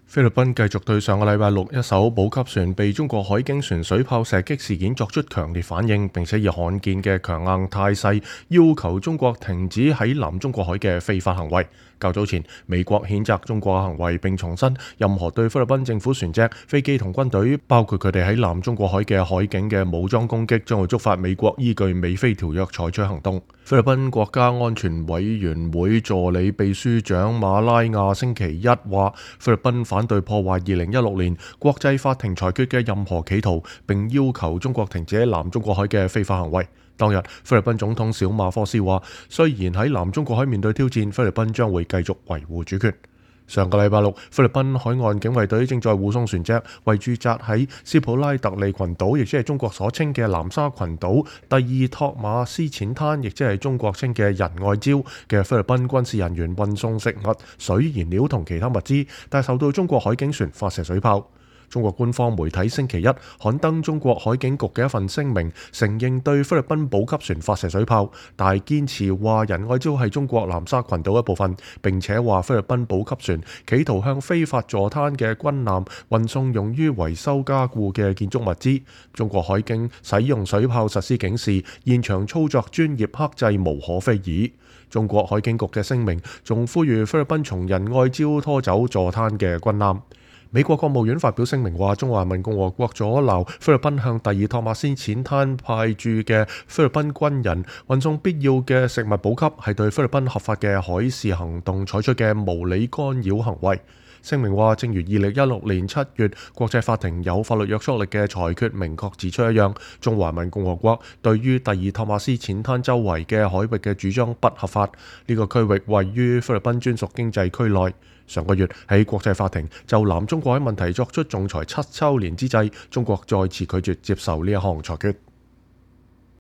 菲律賓繼續對上個禮拜六一艘補給船被中國海警船水炮射擊事件作出強烈反應，並且以罕見嘅強硬態勢要求中國停止喺南中國海嘅非法行為。較早前，美國譴責中國嘅行為，並重申任何對菲律賓政府船隻、飛機同軍隊，包括佢哋喺南中國海嘅海警嘅武裝攻擊，將會觸發美國依據美菲條約採取行動。菲律賓國家安全委員會助理秘書長馬拉亞星期一話，菲律賓反對破壞2016年國際法庭裁決嘅任何企圖，並要求中國停止喺南中國海嘅非法行為。當日，菲律賓總統小馬科斯話，雖然喺南中國海面對挑戰，菲律賓將會繼續維護主權。上個禮拜六，菲律賓海岸警衛隊正在護送船隻為駐紮喺斯普拉特利群島，亦即係中國所稱嘅南沙群島第二托馬斯淺灘，亦即係中國稱嘅仁愛礁嘅菲律賓軍事人員運送食物、水、燃料同其他物資，但受到中國海警船發射水炮。中國官方媒體星期一刊登中國海警局嘅一份聲明，承認對菲律賓補給船發射水炮，但係堅持話仁愛礁係中國南沙群島一部分，並且話菲律賓補給船企圖向非法坐灘嘅軍艦運送用於維修加固嘅建築物資。中國海警使用水炮實施警示，現場操作專業克制，無可非議。中國海警局嘅聲明仲呼籲菲律賓從仁愛礁拖走坐灘嘅軍艦。美國國務院發表聲明話，中華人民共和國阻撓菲律賓向第二托馬斯淺灘派駐嘅菲律賓軍人運送必要嘅食物補給，係對菲律賓合法嘅海事行動採取嘅無理干擾行為。聲明話，正如2016年7月國際法庭有法律約束力嘅裁決明確指出一樣，中華人民共和國對於第二托馬斯淺灘周圍嘅海域嘅主張不合法。呢個區域位於菲律賓專屬經濟區內。上個月喺國際法庭就南中國海問題作出仲裁7週年之際，中國再次拒絕接受呢一項裁決。